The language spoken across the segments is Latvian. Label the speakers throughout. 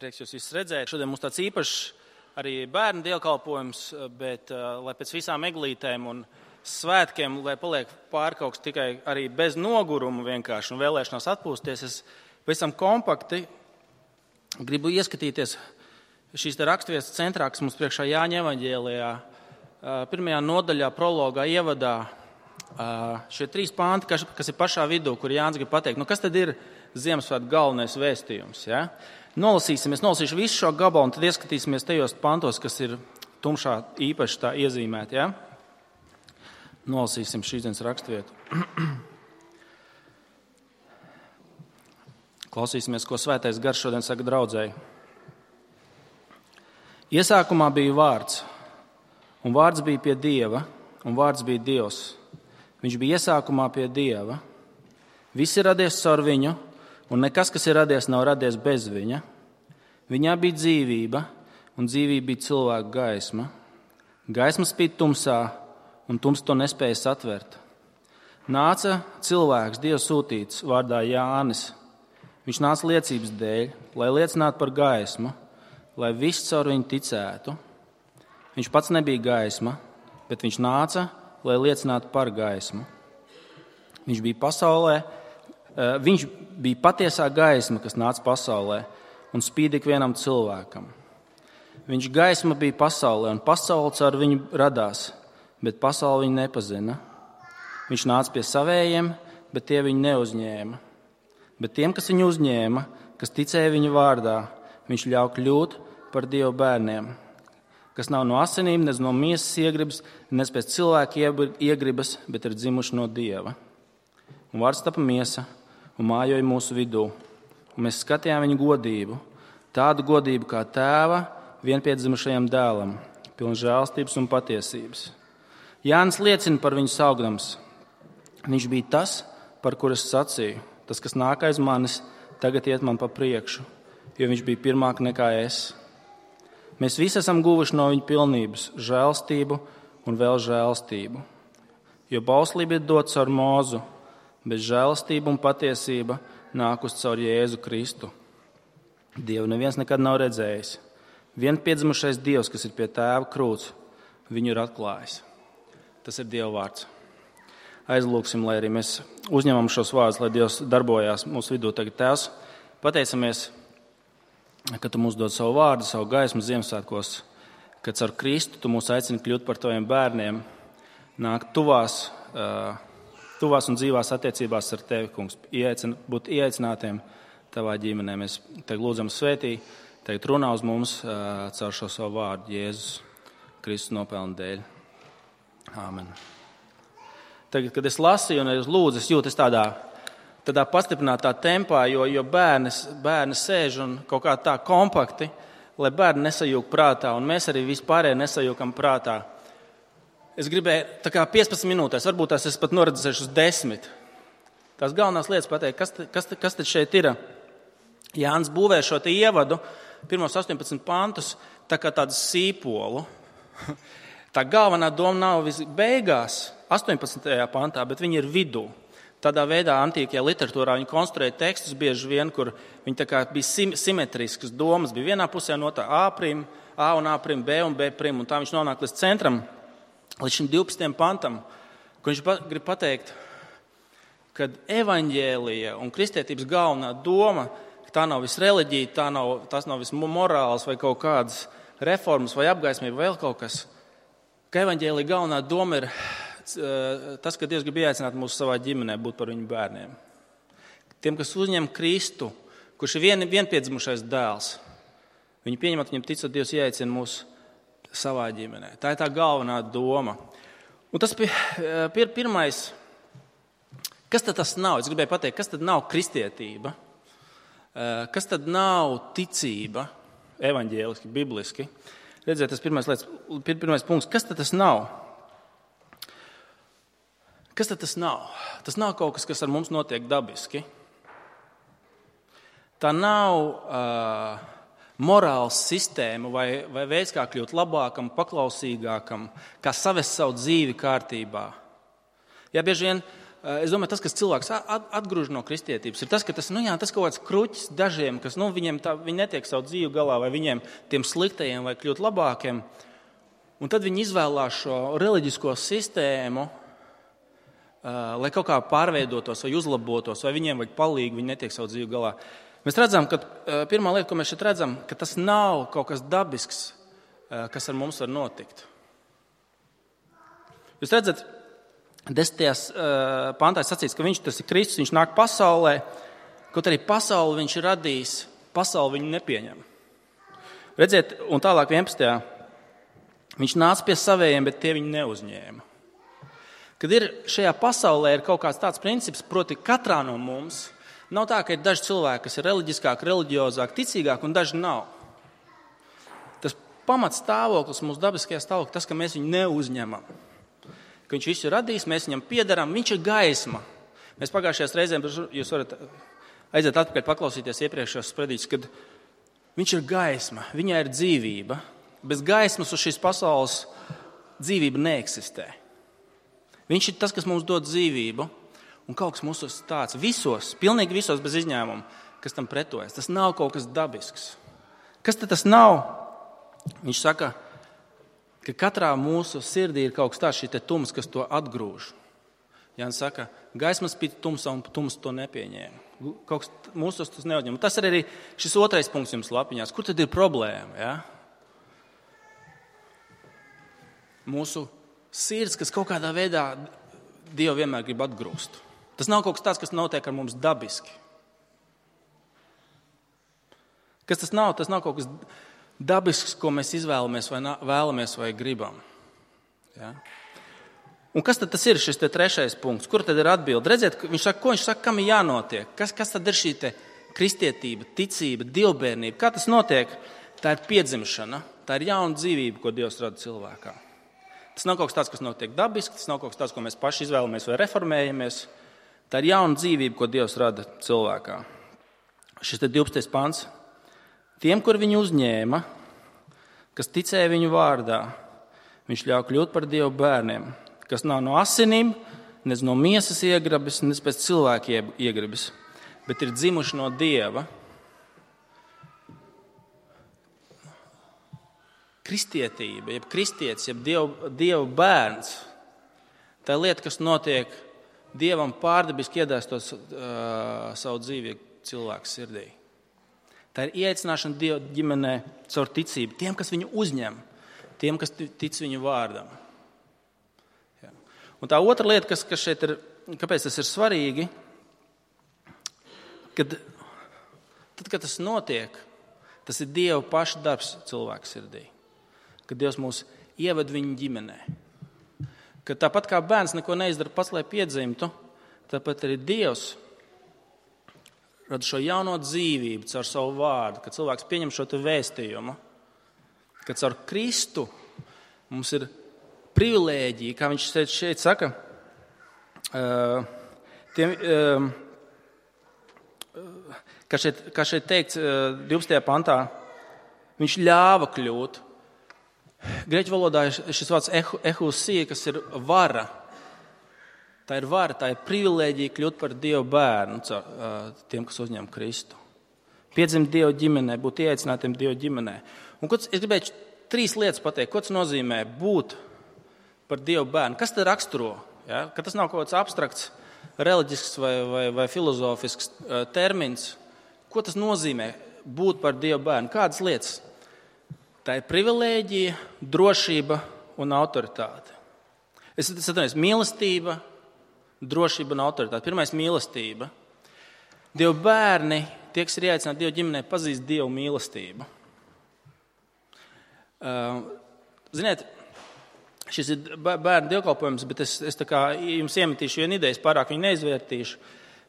Speaker 1: Prieks jūs visus redzēt. Šodien mums tāds īpašs arī bērnu dievkalpojums, bet lai pēc visām eglītēm un svētkiem, lai paliek pāri kaut kas tikai arī bez noguruma vienkārši un vēlēšanās atpūsties, es pavisam kompakti gribu ieskatīties šīs raksturvietas centrā, kas mums priekšā Jāņa evaņģēlijā, pirmajā nodaļā, prologā, ievadā. Šie 3 panti, kas ir pašā vidū, kur Jānis grib pateikt, kas tad ir Ziemassvētku galvenais vēstījums, ja? Nolasīšu visu šo gabalu un tad ieskatīsimies tajos pantos, kas ir tumšā īpaši tā iezīmēti. Ja? Nolasīsim šīs dienas raksturvietu. Klausīsimies, ko Svētais Gars šodien saka draudzēji. Iesākumā bija vārds, un vārds bija pie Dieva, un vārds bija Dievs. Viņš bija iesākumā pie Dieva. Viss ir radies caur viņu, un nekas, kas ir radies, nav radies bez viņa. Viņā bija dzīvība, un dzīvība bija cilvēka gaisma. Gaisma spīd tumsā, un tums to nespēja satvert. Nāca cilvēks, Dieva sūtīts, vārdā Jānis. Viņš nāca liecības dēļ, lai liecinātu par gaismu, lai viss caur viņu ticētu. Viņš pats nebija gaisma, bet viņš nāca, lai liecinātu par gaismu. Viņš bija patiesā gaisma, kas nāca pasaulē un spīd ikvienam cilvēkam. Viņš gaisma bija pasaulē, un pasaule caur viņu radās, bet pasaule viņu nepazina. Viņš nāca pie savējiem, bet tie viņu neuzņēma. Bet tiem, kas viņu uzņēma, kas ticēja viņa vārdā, viņš ļauj kļūt par Dieva bērniem, kas nav no asinīm, ne no miesas iegribas, ne pēc cilvēka iegribas, bet ir dzimuši no Dieva. Un vārds tapa miesa un mājoja mūsu vidū, un mēs skatījām viņa godību, tādu godību kā tēva vienpiedzimušajam dēlam, pilna žēlstības un patiesības. Jānis liecina par viņu saukdams. Viņš bija tas, par kuru es sacīju, tas, kas nāk aiz manis, tagad iet man pa priekšu, jo viņš bija pirmāk nekā es. Mēs visi esam guvuši no viņa pilnības žēlstību un vēl žēlstību, jo bauslība ir dots ar Mūzu, bet žēlastība un patiesība nākus caur Jēzu Kristu. Dievu neviens nekad nav redzējis. Vienpiedzimušais Dievs, kas ir pie tēva krūts, viņu ir atklājis. Tas ir Dieva vārds. Aizlūksim, lai arī mēs uzņemam šos vārdus, lai Dievs darbojās mūsu vidū tagad. Tēvs, pateicamies, ka Tu mums dod savu vārdu, savu gaismu Ziemassvētkos, ka caur Kristu Tu mūs aicini kļūt par Taviem bērniem, nākt tuvās un dzīvās attiecībās ar Tevi, kungs, būt ieaicinātiem Tavā ģimenē. Mēs Tev lūdzam svētī, Tev runā uz mums caur šo savu vārdu Jēzus Kristus nopelnu dēļ. Āmen. Tagad, kad es lasīju un es lūdzu, es jūtu tādā pastiprinātā tempā, jo bērni sēž un kaut kā tā kompakti, lai bērni nesajūg prātā, un mēs arī vispārēji nesajūkam prātā. Es gribēju tā kā 15 minūtēs, varbūt tās es pat noredzēšu uz 10. Tās galvenās lietas pateikt, kas tad šeit ir. Jānis būvē šo te ievadu, pirmos 18 pantus, tā kā tādu sīpolu. Tā galvenā doma nav beigās, 18. pantā, bet viņa ir vidū. Tādā veidā antīkajā literatūrā viņi konstruēja tekstus bieži vien, kur viņi tā kā bija simetriskas domas. Bija vienā pusē notā A un A prim, B un B prim, un tā viņš nonāk līdz centram, līdz šim 12. pantam, kur viņš grib pateikt, ka evaņģēlija un kristietības galvenā doma, ka tā nav viss reliģija, tas nav viss morāls vai kaut kādas reformas vai apgaismība vai vēl kaut kas, ka evaņģēlija galvenā doma ir tas, ka Dievs grib ieaicināt mūs savā ģimenē, būt par viņu bērniem. Tiem, kas uzņem Kristu, kurš ir vienpiedzimušais dēls, viņi pieņemat viņam ticot, Dievs ieaicina mūs savā ģimenē. Tā ir tā galvenā doma. Un tas pirmais, kas tad tas nav? Es gribēju pateikt, kas tad nav kristietība? Kas tad nav ticība, evaņģēliski, bibliski? Redziet, tas pirmais punkts, kas tad tas nav? Kas tad tas nav? Tas nav kaut kas, kas ar mums notiek dabiski. Tā nav morāls sistēma vai veids, kā kļūt labākam, paklausīgākam, kā savest savu dzīvi kārtībā. Ja bieži vien es domāju, tas, kas cilvēks atgrūž no kristietības, ir tas, ka tas kaut kāds kruķis dažiem, kas viņi netiek savu dzīvi galā, vai viņiem tiem sliktajiem, vai kļūt labākiem. Un tad viņi izvēlās šo reliģisko sistēmu, lai kaut kā pārveidotos vai uzlabotos, vai viņiem vajag palīgu, viņi netiek savu dzīvi galā. Mēs redzam, ka pirmā lieta, ko mēs šeit redzam, ka tas nav kaut kas dabisks, kas ar mums var notikt. Jūs redzat, 10. pantā sacīts, ka tas ir Kristus, viņš nāk pasaulē, kaut arī pasauli viņš ir radījis, pasauli viņu nepieņem. Redziet, un tālāk 11. Viņš nāca pie savējiem, bet tie viņu neuzņēma. Kad šajā pasaulē ir kaut kāds tāds princips, proti katrā no mums, nav tā, ka ir daži cilvēki, kas ir reliģiskāk, reliģiozāk, ticīgāk, un daži nav. Tas pamats stāvoklis, mūsu dabiskajā stāvoklī, tas, ka mēs viņu neuzņemam. Ka viņš visu ir radījis, mēs viņam piederam, viņš ir gaisma. Mēs pagājušajās reizēm, jūs varat aiziet atpakaļ paklausīties iepriekšējos sprediķus, kad viņš ir gaisma, viņai ir dzīvība. Bez gaismas uz šīs pasaules dzīvība neeksistē. Viņš ir tas, kas mums dod dzīvību, un kaut kas mūsos tāds visos, pilnīgi visos bez izņēmuma, kas tam pretojas. Tas nav kaut kas dabisks. Kas tad tas nav? Viņš saka, ka katrā mūsu sirdī ir kaut kas tāds, šī tums, kas to atgrūž. Jānis saka, gaisma spīd tumsā un tums to nepieņēma. Kaut kas mūsos tas neatņem. Tas ir arī šis otrais punkts jums lapiņās. Kur tad ir problēma? Ja? Mūsu sirds, kas kaut kādā veidā Dievu vienmēr grib atgrūst. Tas nav kaut kas tāds, kas notiek ar mums dabiski. Kas tas nav? Tas nav kaut kas dabisks, ko mēs vēlamies vai gribam. Ja? Un kas tad tas ir šis trešais punkts? Kur tad ir atbilde? Redziet, ko viņš saka, kam ir jānotiek? Kas tad ir šī kristietība, ticība, dievbērnība? Kā tas notiek? Tā ir piedzimšana, tā ir jauna dzīvība, ko Dievs rada cilvēkā. Tas nav kaut kas tāds, kas notiek dabiski, tas nav kaut kas tāds, ko mēs paši izvēlamies vai reformējamies. Tā ir jauna dzīvība, ko Dievs rada cilvēkā. Šis 12. pants. Tiem, kur viņu uzņēma, kas ticēja viņu vārdā, viņš ļauj kļūt par Dieva bērniem, kas nav no asinīm, ne no miesas iegribas, ne pēc cilvēka iegribas, bet ir dzimuši no Dieva. Kristietība, jeb kristietis, jeb Dieva bērns, tā ir lieta, kas notiek Dievam pārdabiski iedēstot savu dzīvi cilvēku sirdī. Tā ir ieaicināšana Dieva ģimenē caur ticību. Tiem, kas viņu uzņem, tiem, kas tic viņu vārdam. Ja. Un tā otra lieta, kas šeit ir, kāpēc tas ir svarīgi, tad, kad tas notiek, tas ir Dieva paša darbs cilvēku sirdī. Kad Dievs mūs ieved viņu ģimenē. Kad tāpat kā bērns neko neizdara pats, lai piedzimtu, tāpat arī Dievs rada šo jauno dzīvību caur savu vārdu, kad cilvēks pieņem šo vēstījumu, kad caur Kristu mums ir privilēģija, kā viņš šeit saka, kā šeit teikts 12. pantā, viņš ļāva kļūt. Grieķu valodā ir šis vārds ehusija, kas ir vara. Tā ir vara, tā ir privilēģija kļūt par Dieva bērnu tiem, kas uzņem Kristu. Piedzimt Dieva ģimenē, būt ieaicinātiem Dieva ģimenē. Un es gribēju 3 lietas pateikt, ko tas nozīmē būt par Dieva bērnu. Kas tad raksturo? Ja? Ka tas nav kaut kāds abstrakts, reliģisks vai filozofisks termins. Ko tas nozīmē būt par Dieva bērnu? Kādas lietas? Tā ir privilēģija, drošība un autoritāte. Es atceros, mīlestība, drošība un autoritāte. Pirmais - mīlestība. Dieva bērni, tie, kas ir ieaicināti Dieva ģimenē, pazīst Dieva mīlestību. Ziniet, šis ir bērnu dievkalpojums, bet es jums iemetīšu vienu ideju, pārāk viņu neizvērtīšu.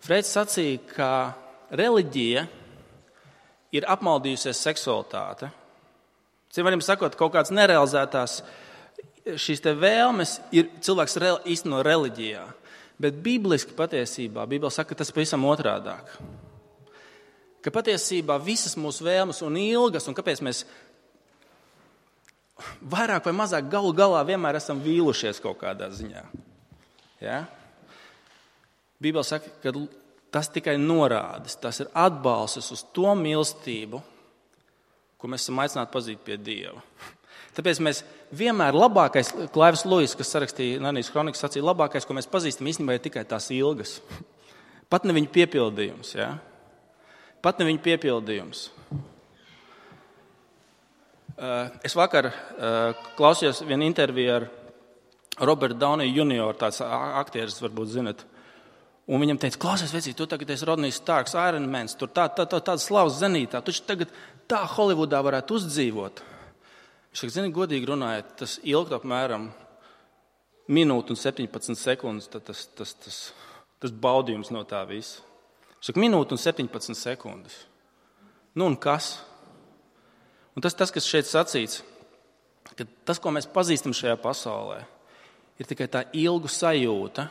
Speaker 1: Freids sacīja, ka reliģija ir apmaldījusies seksualitāte. Citiem sakot, kaut kādas nerealizētās šīs te vēlmes ir cilvēks īsteno reliģijā. Bet bibliski patiesībā, Bībele saka, ka tas pavisam otrādāk. Ka patiesībā visas mūsu vēlmes un ilgas, un kāpēc mēs vairāk vai mazāk galu galā vienmēr esam vīlušies kaut kādā ziņā. Ja? Bībele saka, ka tas tikai norādes, tas ir atbalsts uz to mīlestību, ko mēs esam aicināti pazīt pie Dieva. Tāpēc mēs vienmēr labākais, Klaivs Luis, kas sarakstīja Narnijas kronikas, sacīja, labākais, ko mēs pazīstam, īstenībā ir tikai tās ilgas. Pat ne viņa piepildījums. Ja? Pat ne viņa piepildījums. Es vakar klausījos vienu interviju ar Robertu Downey Jr., tāds aktieris, varbūt zinat. Un viņam teica, klausies, vecīt, tu tagad esi Rodnijs Starks, Iron Mans, tur tāda slavas zenītā, tu tagad tā Holivudā varētu uzdzīvot. Viņš saka, zini, godīgi runājot, tas ilgt apmēram minūti un 17 sekundes, tas baudījums no tā visa. Viņš saka, minūti un 17 sekundes. Nu un kas? Un tas, kas šeit sacīts, ka tas, ko mēs pazīstam šajā pasaulē, ir tikai tā ilgu sajūta,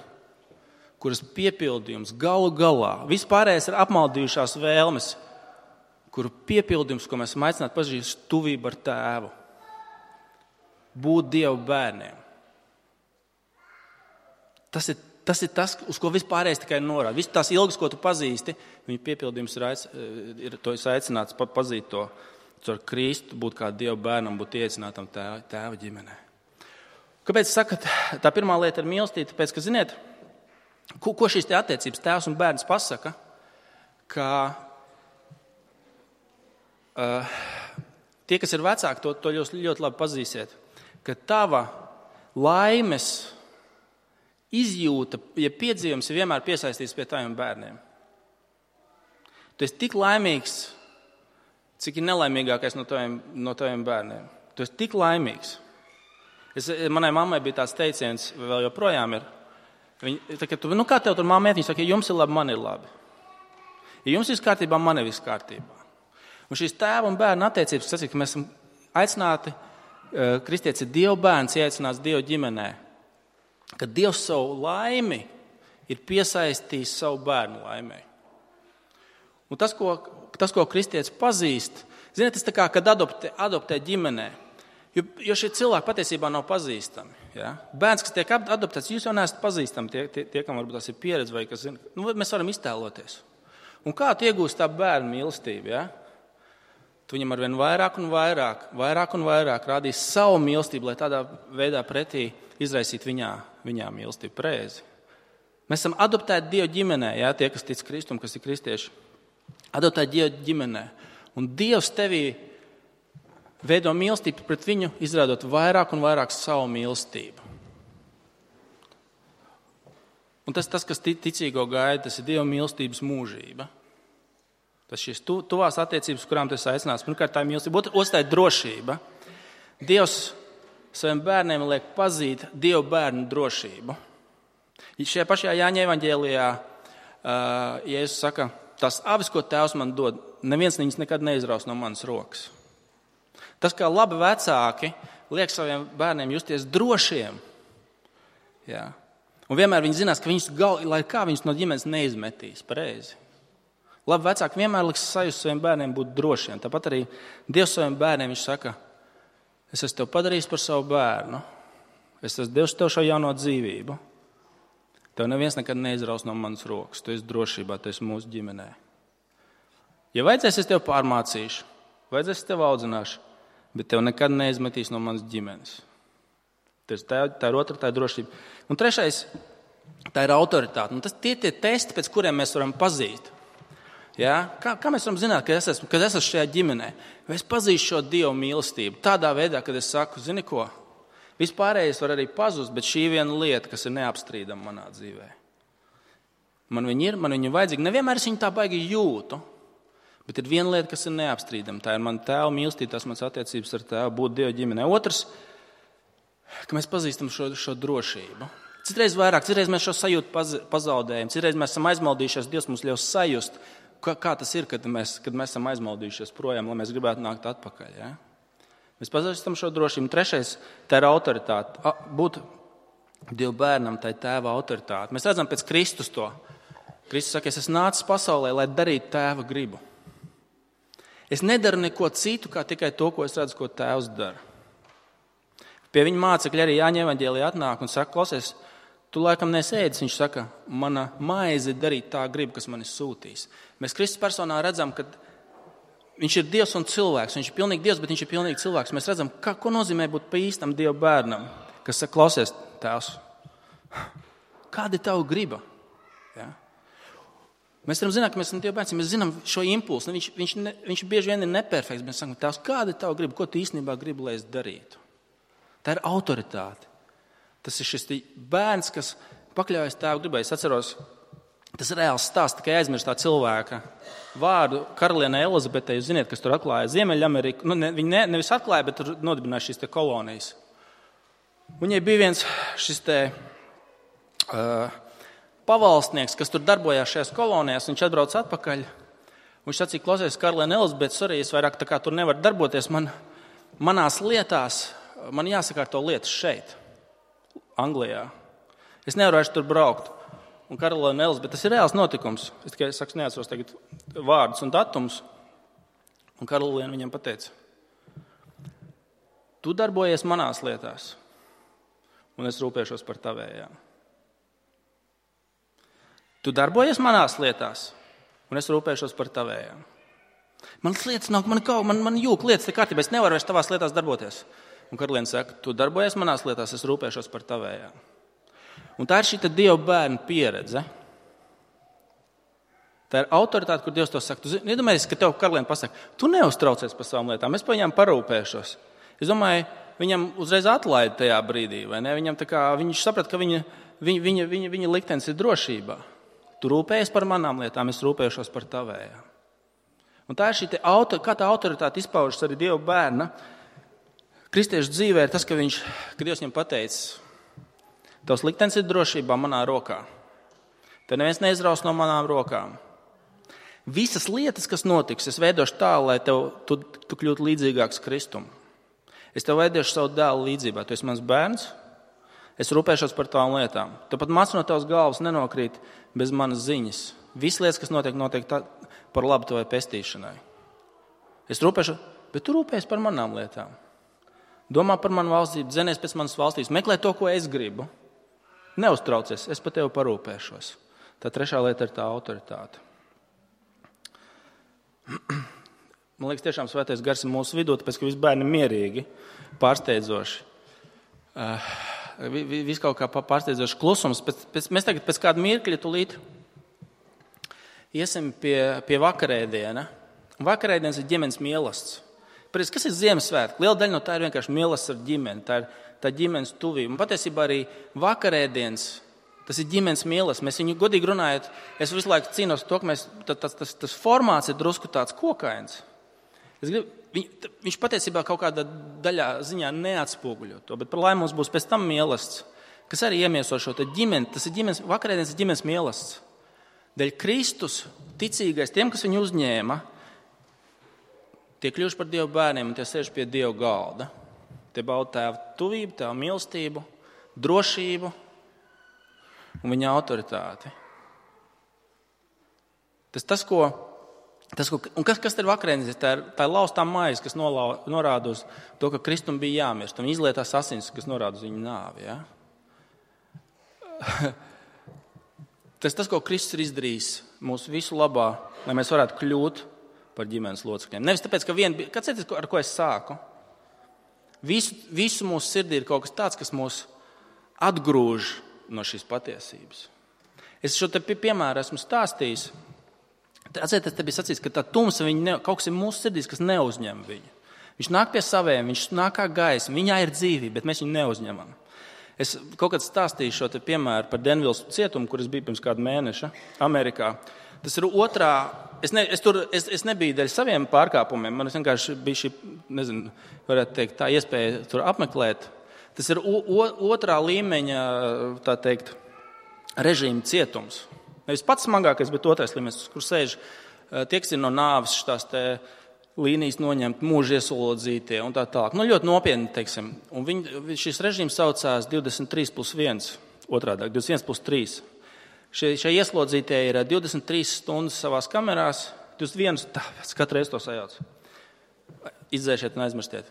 Speaker 1: kuras piepildījums galu galā, vispārējais ir apmaldījušās vēlmes, kuru piepildījums, ko mēs esam aicināti pazīst, tuvību ar Tēvu. Būt Dieva bērniem. Tas ir tas, uz ko vispārējais tikai norāda. Visas tās ilgas, ko tu pazīsti, viņa piepildījums ir to aicināts pazīt to ar Kristu, būt kā Dieva bērnam, būt ieicinātam Tēva ģimenē. Kāpēc sakat, tā pirmā lieta ir mīlestība? Tāpēc, ka, ziniet, ko šīs te attiecības tēvs un bērns pasaka, ka tie, kas ir vecāki, to ļoti labi pazīsiet, ka tava laimes izjūta, ja piedzīvums ir vienmēr piesaistīts pie taviem bērniem. Tu esi tik laimīgs, cik ir nelaimīgākais no taviem bērniem. Tu esi tik laimīgs. Manai mammai bija tāds teiciens, vēl joprojām ir. Viņa, kā tev tur māmiet? Viņa saka, ja jums ir labi, man ir labi. Ja jums viss kārtībā, man ir viss kārtībā. Un šīs tēva un bērna attiecības, tas ir, ka mēs esam aicināti, kristietis ir Dieva bērns, ieaicināts Dieva ģimenē, ka Dievs savu laimi ir piesaistījis savu bērnu laimei. Un tas, ko kristietis pazīst, ziniet, tas tā kā, kad adoptē ģimenē, jo šie cilvēki patiesībā nav pazīstami. Ja? Bērns, kas tiek adoptēts, jūs jau neesat pazīstami, tie kam varbūt tas ir pieredze vai kas zina. Mēs varam iztēloties. Un kā tu iegūsi tā bērnu mīlestību? Ja? Tu viņam arvien vairāk un vairāk rādīs savu mīlestību, lai tādā veidā pretī izraisītu viņā mīlestību preizi. Mēs esam adoptēti Dieva ģimenē, ja? Tie, kas tic Kristum, kas ir kristieši. Adoptēti Dieva ģimenē. Un Dievs tevī veido mīlestību pret viņu, izrādot vairāk un vairāk savu mīlestību. Un tas, kas ticīgo gaida, tas ir Dieva mīlestības mūžība. Tas šīs tuvās attiecības, kurām tu esi aicināts. Pirmkārt, tā ir mīlestība. Otrs, tā ir drošība. Dievs saviem bērniem liek pazīt Dieva bērnu drošību. Šajā pašajā Jāņa evaņģēlijā Jēzus saka, tās avis, ko Tēvs man dod, neviens viņas nekad neizraus no manas rokas. Tas, kā labi vecāki liek saviem bērniem justies drošiem. Jā. Un vienmēr viņi zinās, ka lai kā viņus no ģimenes neizmetīs pareizi. Labi vecāki vienmēr liks sajust saviem bērniem būt drošiem. Tāpat arī Dievs saviem bērniem viņš saka, es esmu tev padarījis par savu bērnu. Es esmu devis tev šo jauno dzīvību. Tev neviens nekad neizraus no manas rokas. Tu esi drošībā, tu esi mūsu ģimenē. Ja vajadzēs, es tev pārmācīšu. Vajadzēs, es tev audzināšu. Bet tev nekad neizmetīs no manas ģimenes. Tā ir otra, tā ir drošība. Un trešais, tā ir autoritāte. Un tie testi, pēc kuriem mēs varam pazīt. Ja? Kā mēs varam zināt, kad es esmu šajā ģimenē? Vai es pazīstu šo Dieva mīlestību? Tādā veidā, kad es saku, zini ko? Vispārējais var arī pazust, bet šī viena lieta, kas ir neapstrīdama manā dzīvē. Man viņa ir vajadzīga. Nevienmēr es viņu tā baigi jūtu. Bet ir viena lieta, kas ir neapstrīdama. Tā ir mana tēva mīlestība, tas mans attiecības ar tēvu, būt Dieva ģimenē. Otrs, ka mēs pazīstam šo drošību. Citreiz mēs šo sajūtu pazaudējam, citreiz mēs esam aizmaldījušies, Dievs mums ļaus sajust, kā tas ir, kad mēs esam aizmaldījušies projām, lai mēs gribētu nākt atpakaļ. Ja? Mēs pazīstam šo drošību. Trešais, tā ir autoritāte. Būt Dieva bērnam, tā ir tēva autoritāte. Mēs redzam pēc Kristus to. Kristus saka, es esmu nācis pasaulē, lai darītu tēva gribu. Es nedaru neko citu, kā tikai to, ko es redzu, ko tēvs dara. Pie viņa mācekļi arī Jāņa evaņģēlijā atnāk un saka, klausies, Tu laikam nesēdis, viņš saka, mana maize darīt tā gribu, kas mani sūtīs. Mēs Kristus personā redzam, ka viņš ir Dievs un cilvēks. Viņš ir pilnīgi Dievs, bet viņš ir pilnīgi cilvēks. Mēs redzam, ko nozīmē būt pa īstam Dieva bērnam, kas saka, klausies, tēvs, kāda ir tava griba? Ja? Mēs varam zināt, ka mēs esam Dieva bērni, mēs zinām šo impulsu. Viņš bieži vien ir neperfekts. Mēs sakām, tēvs, kāda ir tava griba? Ko tu īstenībā gribi, lai es darītu? Tā ir autoritāte. Tas ir šis bērns, kas pakļaujas tēva gribai. Es atceros, tas ir reāls stāsts, tikai aizmirst tā cilvēka vārdu karalienei Elizabetei. Jūs ziniet, kas tur atklāja Ziemeļameriku. Viņi nevis atklāja, bet tur nodibināja šīs kolonijas. Viņai bija viens šis pavalstnieks, kas tur darbojās šajās kolonijās. Viņš atbrauc atpakaļ. Viņš sacīja, klausies, karaliene Elizabete, sorry, es vairāk tā kā tur nevaru darboties. Manās lietās, man jāsakārto lietas šeit. Anglijā. Es nevaru vairs tur braukt. Un karaliene Elizabete, tas ir reāls notikums. Es tikai neatceros tagad vārdus un datumus. Un karaliene viņam pateica, tu darbojies manās lietās, un es rūpēšos par tavējām. Tu darbojies manās lietās, un es rūpēšos par tavējām. Manas lietas nav, man jūk lietas te kārtībā, es nevaru vairs tavās lietās darboties. Un karaliene saka, tu darbojies manās lietās, es rūpēšos par tavējām. Un tā ir šī Dieva bērna pieredze. Tā ir autoritāte, kur Dievs to saka. Tu iedomājies, ka tev karaliene pasaka, tu neuztraucies par savām lietām, es par viņām parūpēšos. Es domāju, viņam uzreiz atlaida tajā brīdī, vai ne? Viņš saprata, ka viņa liktenis ir drošībā. Tu rūpējies par manām lietām, es rūpēšos par tavējām. Un tā ir šī kā tā autoritāte izpaužas arī Dieva bērna. Kristiešu dzīvē ir tas, ka Dievs viņam pateicis, tavs liktenis ir drošībā manā rokā. Tev neviens neizraus no manām rokām. Visas lietas, kas notiks, es veidošu tā, lai tu kļūtu līdzīgāks Kristum. Es tev veidošu savu dēlu līdzībā. Tu esi mans bērns, es rūpēšos par tavām lietām. Tu pat mats no tavas galvas nenokrīt bez manas ziņas. Visas lietas, kas notiek par labu tavai pestīšanai. Es rūpēšos, bet tu rūpējies par manām lietām. Domā par manu valstību, dzenies pēc manas valstības, meklē to, ko es gribu. Neuztraucies, es par tevi parūpēšos. Tā trešā lieta ir tā autoritāte. Man liekas, tiešām svētais gars ir mūsu vidū, tāpēc, ka visi bērni ir mierīgi, pārsteidzoši. Viss kaut kā pārsteidzoši klusums. Mēs tagad pēc kāda mirkļa tūlīt iesim pie vakarēdiena. Vakarēdienas ir ģimenes mīlestība. Kas ir Ziemassvētki? Liela daļa no tā ir vienkārši mīlestība ar ģimeni. Tā ģimenes tuvība. Un patiesībā arī vakarēdienas, tas ir ģimenes mīlestība. Mēs viņu godīgi runājot, es visu laiku cīnos to, ka tas formāts ir drusku tāds kokains. Viņš patiesībā kaut kādā daļā ziņā neatspoguļo to, bet par laimi mums būs pēc tam mīlestība, kas arī iemieso šo ģimeni. Tas ir vakarēdienas ir ģimenes mīlestība. Dēļ Kristus ticīgais, tiem, kas viņu uzņēma, tie kļuvuši par Dieva bērniem un tie sēž pie Dieva galda. Tie bauda tēva tuvību, tēva mīlestību, drošību un viņa autoritāti. Kas ir vakarēdienas? Tā ir laustā maize, kas norāda uz to, ka Kristum bija jāmirst. Un izlietās asins, kas norāda uz viņa nāvi. Ja? Tas, ko Kristus ir izdarījis mūsu visu labā, lai mēs varētu kļūt par ģimenes locekļiem. Nevis tāpēc, ka kāds ar ko es sāku? Visu mūsu sirdī ir kaut kas tāds, kas mūs atgrūž no šīs patiesības. Es šo te piemēru esmu stāstījis. Atcerieties, te bija sacīts, ka tā tumsa, kaut kas ir mūsu sirdīs, kas neuzņem viņu. Viņš nāk pie saviem, viņš nāk kā gaisma, viņā ir dzīvība, bet mēs viņu neuzņemam. Es kaut kad stāstīju šo te piemēru par Denvils cietumu, kur es biju pirms kāda mēneša Amerikā. Tas ir otrā. Es nebiju dēļ saviem pārkāpumiem. Man vienkārši bija šī, varētu teikt, tā iespēja tur apmeklēt. Tas ir otrā līmeņa, tā teikt, režīma cietums. Nevis pats smagākais, bet otrais līmenis, kur sēž tie, kas ir no nāves šitās te līnijas noņemt, mūža ieslodzītie un tā tālāk. Ļoti nopietni, teiksim. Un šis režīms saucās 23+1, otrādāk, 21+3. Šie ieslodzītie ir 23 stundas savās kamerās, 21, katru reizi to sajauc. Izdzēšiet un aizmirstiet.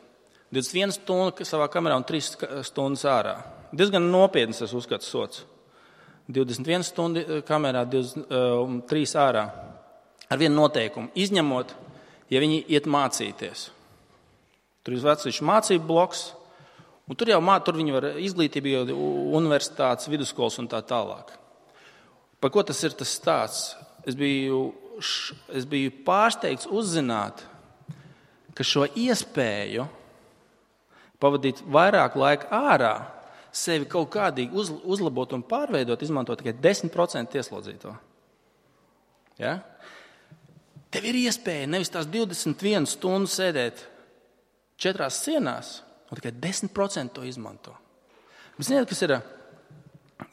Speaker 1: 21 stundu savā kamerā un 3 stundas ārā. Diezgan nopietns, es uzskatu, sots. 21 stundu kamerā, 3 ārā. Ar vienu noteikumu. Izņemot, ja viņi iet mācīties. Tur ir vecīšu mācību bloks, un tur viņi var izglītību, universitātes, vidusskolas un tā tālāk. Par ko tas ir tas stāsts? Es biju pārsteigts uzzināt, ka šo iespēju pavadīt vairāk laika ārā, sevi kaut kādīgi uzlabot un pārveidot, izmantot tikai 10% ieslodzīto. Ja? Tev ir iespēja nevis tās 21 stundas sēdēt 4 sienās, un tikai 10% to izmanto. Bet ziniet, kas ir?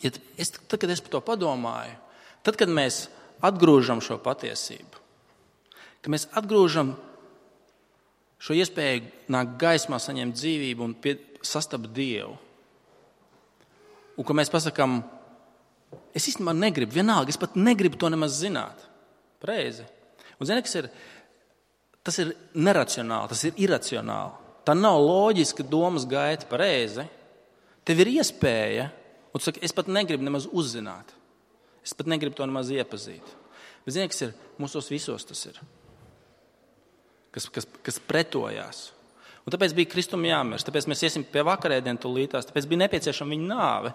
Speaker 1: Tad, kad es par to padomāju, tad, kad mēs atgrūžam šo patiesību, kad mēs atgrūžam šo iespēju nākt gaismā, saņemt dzīvību un sastapt Dievu, un ka mēs pasakām, es īstenībā negribu, vienalga, es pat negribu to nemaz zināt. Pareizi. Un zini, kas ir? Tas ir neracionāli, tas ir iracionāli. Tā nav loģiska domas gaita, pareizi. Tev ir iespēja, un tu saki, es pat negribu nemaz uzzināt. Es pat negribu to nemaz iepazīt. Bet zini, kas ir? Mūsos visos tas ir. Kas pretojās. Un tāpēc bija Kristum jāmirst, tāpēc mēs iesim pie vakarēdienu tūlītās, tāpēc bija nepieciešama viņa nāve,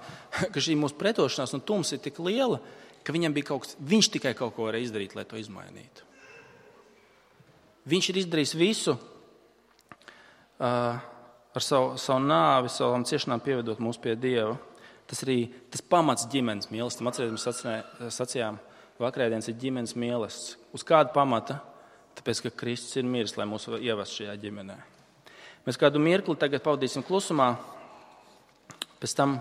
Speaker 1: ka šī mūsu pretošanās un tums ir tik liela, ka viņam bija viņš tikai kaut ko varēja izdarīt, lai to izmainītu. Viņš ir izdarījis visu ar savu nāvi, savām ciešanām pievedot mūs pie Dieva. Tas arī tas pamats ģimenes mīlestam. Atcerieties, mēs sacījām, vakarēdienas ir ģimenes mīlestības. Uz kādu pamata? Tāpēc, ka Kristus ir miris, lai mūs ievestu šajā ģimenē. Mēs kādu mirkli tagad pavadīsim klusumā, pēc tam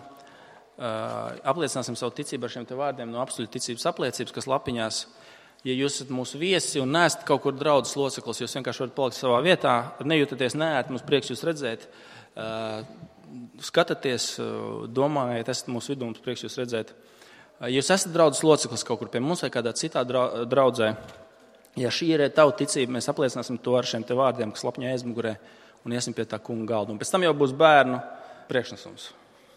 Speaker 1: apliecināsim savu ticību ar šiem te vārdiem no apstuļu ticības apliecības, kas lapiņās. Ja jūs esat mūsu viesi un neesat kaut kur draudzes loceklis, jūs vienkārši varat palikt savā vietā, nejūtaties neērti, mums prieks jūs redzēt, skatāties, domājiet, esat mūsu vidū, mums prieks jūs redzēt. Ja jūs esat draudzes loceklis kaut kur pie mums vai kādā citā draudzē, ja šī ir tava ticība, mēs apliecināsim to ar šiem te vārdiem, kas lapiņā aizmugurē, un iesim pie tā kunga galda. Un pēc tam jau būs bērnu priekšnesums.